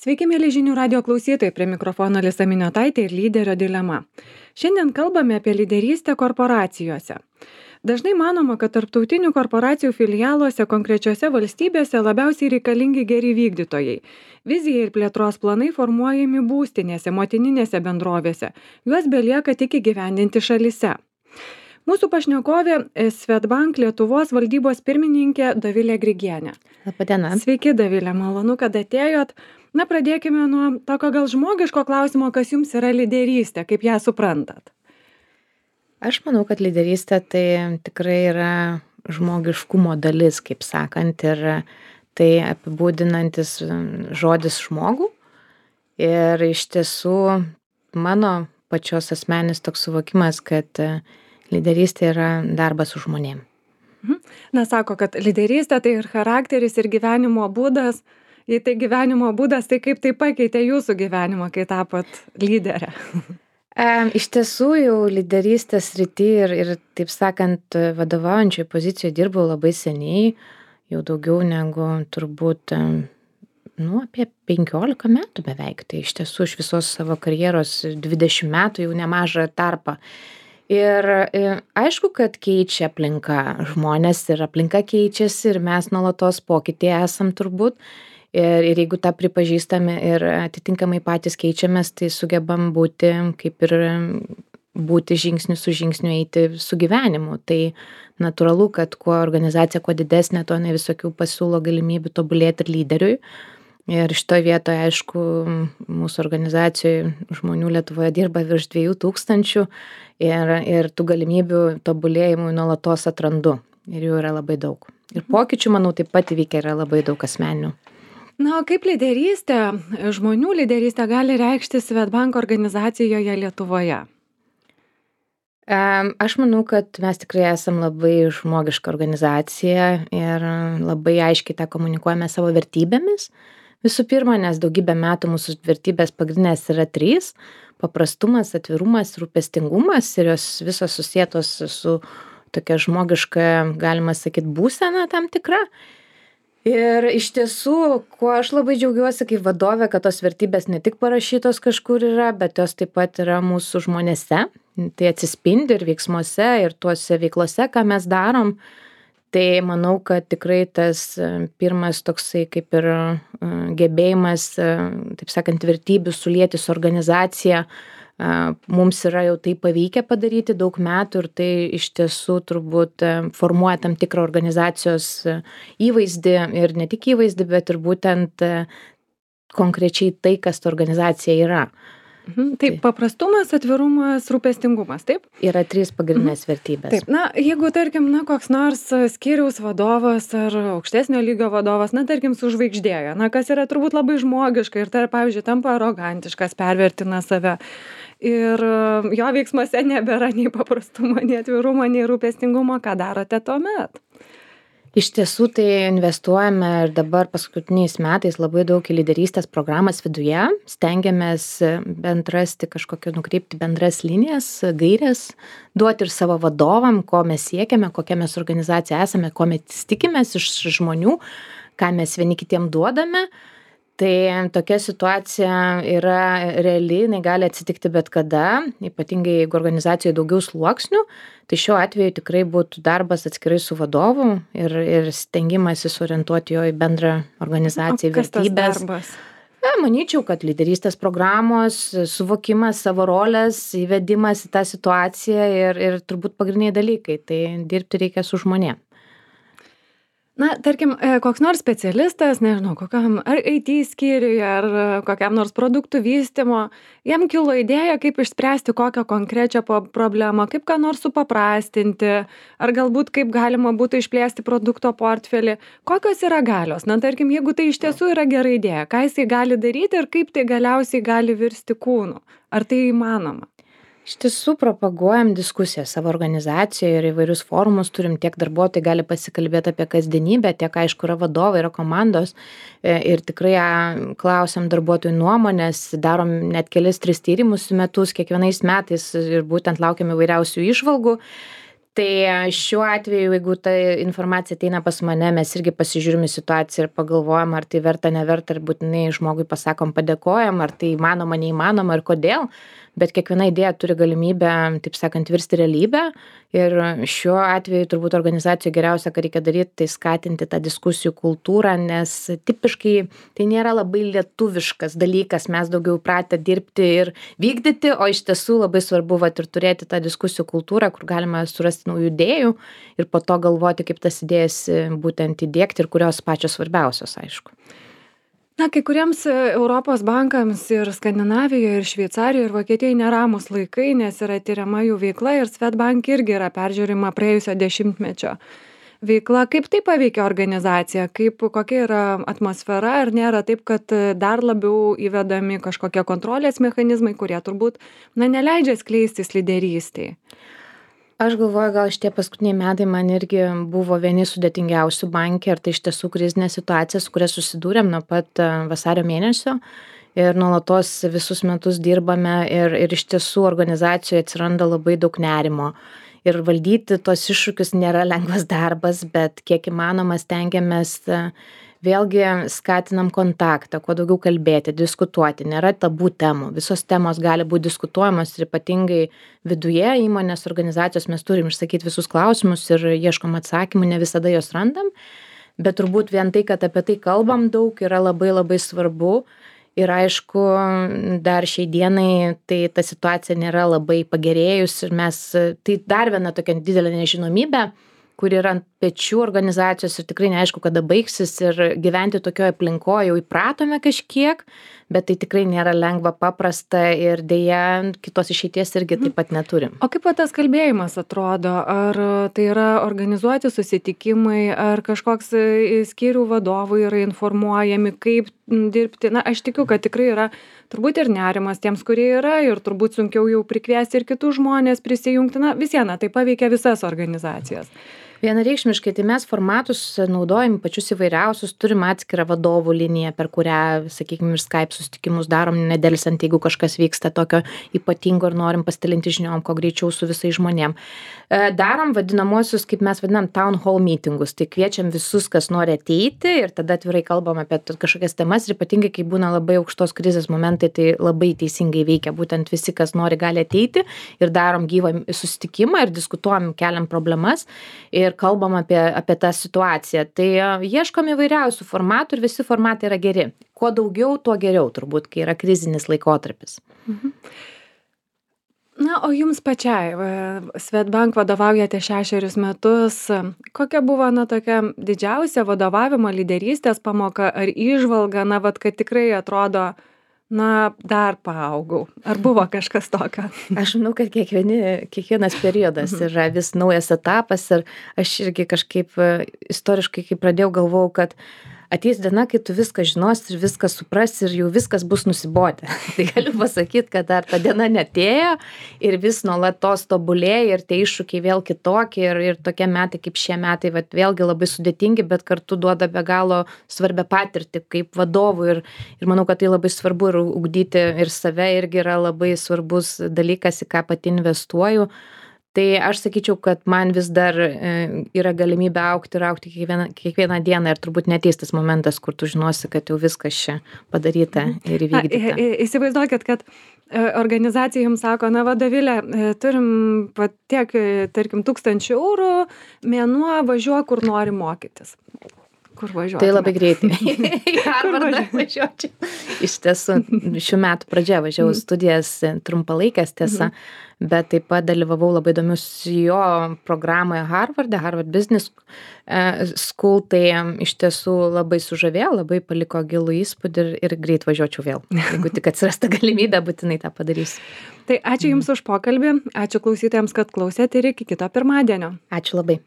Sveiki, mėly žinių radio klausytojai, prie mikrofono Lisa Miniotaitė ir lyderio dilema. Šiandien kalbame apie lyderystę korporacijose. Dažnai manoma, kad tarptautinių korporacijų filialuose konkrečiose valstybėse labiausiai reikalingi geri vykdytojai. Vizija ir plėtros planai formuojami būstinėse, motininėse bendrovėse. Juos belieka tik įgyvendinti šalyse. Mūsų pašnekovė Swedbank Lietuvos valdybos pirmininkė Dovilė Grigienė. Labadiena. Sveiki, Dovilė, malonu, kad atėjot. Na, pradėkime nuo tokio gal žmogiško klausimo, kas jums yra lyderystė, kaip ją suprantat. Aš manau, kad lyderystė tai tikrai yra žmogiškumo dalis, kaip sakant, ir tai apibūdinantis žodis žmogų. Ir iš tiesų mano pačios asmenis toks suvokimas, kad lyderystė yra darbas su žmonėm. Na, sako, kad lyderystė tai ir charakteris, ir gyvenimo būdas. Jei tai gyvenimo būdas, tai kaip tai pakeitė jūsų gyvenimą, kai tapot lyderę? Iš tiesų jau lyderystės srity ir taip sakant, vadovaujančioje pozicijoje dirbau labai seniai, jau daugiau negu turbūt apie 15 metų beveik. Tai iš tiesų iš visos savo karjeros 20 metų jau nemažą tarpą. Ir aišku, kad keičia aplinka žmonės ir aplinka keičiasi ir mes nuolatos pokytyje esam turbūt. Ir jeigu tą pripažįstame ir atitinkamai patys keičiamės, tai sugebam būti kaip ir būti žingsniu su žingsniu eiti su gyvenimu. Tai natūralu, kad kuo organizacija kuo didesnė, to ne visokių pasiūlo galimybių tobulėti ir lyderiui. Ir šitoje vietoje, aišku, mūsų organizacijoje žmonių Lietuvoje dirba virš 2000 ir tų galimybių tobulėjimui nuolatos atrandu. Ir jų yra labai daug. Ir pokyčių, manau, taip pat įvykę yra labai daug asmeninių. Na, o kaip lyderystė, žmonių lyderystė gali reikšti Swedbank organizacijoje Lietuvoje? Aš manau, kad mes tikrai esam labai žmogiška organizacija ir labai aiškiai tą komunikuojame savo vertybėmis. Visų pirma, nes daugybę metų mūsų vertybės pagrindinės yra 3: paprastumas, atvirumas, rūpestingumas, ir jos visos susietos su tokia žmogiška, galima sakyti, būsena tam tikra. Ir iš tiesų, kuo aš labai džiaugiuosi kaip vadovė, kad tos vertybės ne tik parašytos kažkur yra, bet jos taip pat yra mūsų žmonėse. Tai atsispindi ir veiksmuose, ir tuose veiklose, ką mes darom. Tai manau, kad tikrai tas pirmas toksai kaip ir gebėjimas, taip sakant, vertybių sulieti su organizacija, mums yra jau tai pavykę padaryti daug metų ir tai iš tiesų turbūt formuoja tam tikrą organizacijos įvaizdį ir ne tik įvaizdį, bet ir būtent konkrečiai tai, kas ta organizacija yra. Taip, paprastumas, atvirumas, rūpestingumas, taip? Yra 3 pagrindinės vertybės. Taip, na, jeigu, tarkim, koks nors skyriaus vadovas ar aukštesnio lygio vadovas, tarkim, sužvaigždėjo, kas yra turbūt labai žmogiška ir tai, pavyzdžiui, tampa arogantiškas, pervertina save. Ir jo veiksmuose nebėra nei paprastumo, nei atvirumo, nei rūpestingumo. Ką darote tuomet? Iš tiesų tai investuojame ir dabar paskutiniais metais labai daug į lyderystės programas viduje. Stengiamės bent rasti nukreipti bendras linijas, gairės, duoti ir savo vadovam, ko mes siekiame, kokia mes organizacija esame, ko mes tikimės iš žmonių, ką mes vieni kitiem duodame. Tai tokia situacija yra reali, jinai gali atsitikti bet kada, ypatingai jeigu organizacijoje daugiau sluoksnių, tai šiuo atveju tikrai būtų darbas atskirai su vadovu ir stengimasis orientuoti jo į bendrą organizaciją, vertybės. Kas tas darbas? Manyčiau, kad lyderystės programos, suvokimas savo rolės, įvedimas į tą situaciją ir turbūt pagrindiniai dalykai, tai dirbti reikia su žmonėm. Na, tarkim, koks nors specialistas, nežinau, kokiam ar IT skyriui, ar kokiam nors produktų vystymo, jam kilo idėja, kaip išspręsti kokią konkrečią problemą, kaip ką nors supaprastinti, ar galbūt kaip galima būtų išplėsti produkto portfelį. Kokios yra galios? Na, tarkim, jeigu tai iš tiesų yra gera idėja, ką jisai gali daryti ir kaip tai galiausiai gali virsti kūnu? Ar tai įmanoma? Iš tiesų propaguojam diskusiją savo organizacijoje ir įvairius forumus turim, tiek darbuotojai gali pasikalbėti apie kasdienybę, tiek aišku yra vadovai, yra komandos ir tikrai klausiam darbuotojų nuomonės, darom net 2-3 tyrimus į metus kiekvienais metais ir būtent laukiam įvairiausių įžvalgų. Tai šiuo atveju, jeigu ta informacija ateina pas mane, mes irgi pasižiūrim į situaciją ir pagalvojam, ar tai verta, neverta, ir būtinai žmogui pasakom, padėkojam, ar tai įmanoma, neįmanoma ir kodėl. Bet kiekviena idėja turi galimybę, taip sakant, virsti realybę. Ir šiuo atveju turbūt organizacijoj geriausia, ką reikia daryti, tai skatinti tą diskusijų kultūrą, nes tipiškai tai nėra labai lietuviškas dalykas, mes daugiau pratę dirbti ir vykdyti, o iš tiesų labai svarbu vat ir turėti tą diskusijų kultūrą, kur galima surasti naujų idėjų ir po to galvoti, kaip tas idėjas būtent įdiegti ir kurios pačios svarbiausios, aišku. Na, kai kuriems Europos bankams ir Skandinavijoje, ir Šveicarijoje, ir Vokietijoje neramus laikai, nes yra tyriama jų veikla ir Swedbank irgi yra peržiūrima praėjusio dešimtmečio veikla. Kaip tai paveikia organizaciją? Kokia yra atmosfera? Ar nėra taip, kad dar labiau įvedami kažkokie kontrolės mechanizmai, kurie turbūt neleidžia skleistis lyderystei? Aš galvoju, gal šitie paskutiniai metai man irgi buvo vieni sudėtingiausių banke, ir tai iš tiesų krizinė situacija, su kuria susidūrėm nuo pat vasario mėnesio ir nuolatos visus metus dirbame ir iš tiesų organizacijoje atsiranda labai daug nerimo. Ir valdyti tos iššūkius nėra lengvas darbas, bet kiek įmanoma stengiamės vėlgi skatinam kontaktą, kuo daugiau kalbėti, diskutuoti, nėra tabų temų. Visos temos gali būti diskutuojamos ir ypatingai viduje įmonės organizacijos mes turim išsakyti visus klausimus ir ieškom atsakymų, ne visada juos randam, bet turbūt vien tai, kad apie tai kalbam daug, yra labai labai svarbu. Ir aišku, dar šiai dienai tai ta situacija nėra labai pagerėjus ir tai dar viena tokia didelė nežinomybė, kur yra ant pečių organizacijos ir tikrai neaišku, kada baigsis, ir gyventi tokioje aplinkoje jau įpratome kažkiek, bet tai tikrai nėra lengva, paprasta ir dėja kitos išeities irgi taip pat neturim. O kaip tas kalbėjimas atrodo? Ar tai yra organizuoti susitikimai, ar kažkoks skyrių vadovai yra informuojami, kaip dirbti? Na, aš tikiu, kad tikrai yra turbūt ir nerimas tiems, kurie yra, ir turbūt sunkiau jau prikviesti ir kitus žmonės prisijungti. Na, vis viena, tai paveikia visas organizacijas. Vienareikšmiškai, tai mes formatus naudojam pačius įvairiausius, turim atskirą vadovų liniją, per kurią, sakykime, ir Skype susitikimus darom nedelsant, jeigu kažkas vyksta tokio ypatingo ir norim pasidalinti žiniom, kuo greičiau su visais žmonėm. Darom vadinamosius, kaip mes vadinam, town hall meetingus, tai kviečiam visus, kas nori ateiti, ir tada atvirai kalbam apie kažkokias temas, ir ypatingai, kai būna labai aukštos krizės momentai, tai labai teisingai veikia, būtent visi, kas nori, gali ateiti, ir darom gyvą susitikimą ir diskutuojam, keliam problemas ir kalbam apie tą situaciją. Tai ieškom įvairiausių formatų ir visi formatai yra geri. Kuo daugiau, tuo geriau turbūt, kai yra krizinis laikotarpis. Na, o jums pačiai, Swedbank vadovaujate 6 metus. Kokia buvo, tokia didžiausia vadovavimo lyderystės pamoka ar įžvalga, kad tikrai atrodo, dar paaugau? Ar buvo kažkas tokio? Aš manau, kad kiekvienas periodas yra vis naujas etapas, ir aš irgi kažkaip istoriškai, kai pradėjau, galvojau, kad ateis diena, kai tu viską žinosi ir viską suprasi ir jau viskas bus nusibodę. Tai galiu pasakyti, kad dar ta diena neatėjo ir vis nuolatos tobulėja ir tie iššūkiai vėl kitokie, ir tokie metai kaip šie metai, vėlgi labai sudėtingi, bet kartu duoda be galo svarbią patirtį kaip vadovų, ir manau, kad tai labai svarbu, ir ugdyti ir save irgi yra labai svarbus dalykas, į ką pati investuoju. Tai aš sakyčiau, kad man vis dar yra galimybė augti kiekvieną dieną, ir turbūt neateis tas momentas, kur tu žinosi, kad jau viskas čia padaryta ir įvykdyta. Įsivaizduokit, kad organizacija jums sako, Dovilė, turim tiek, tarkim, 1000 eurų, mėnuo, važiuok, kur nori mokytis. Kur važiuotume? Tai labai greitai. Į Harvardą važiuočiau. Iš tiesų, šių metų pradžioje važiavau studijas trumpalaikės, tiesa, bet taip pat dalyvavau labai įdomius jo programoje Harvarde, Harvard Business School, tai iš tiesų labai sužavėjo, labai paliko gilų įspūdį, ir greit važiuočiau vėl. Jeigu tik atsirastų galimybė, būtinai tą padarysiu. Tai ačiū Jums už pokalbį, ačiū klausytojams, kad klausėte, ir iki kito pirmadienio. Ačiū labai.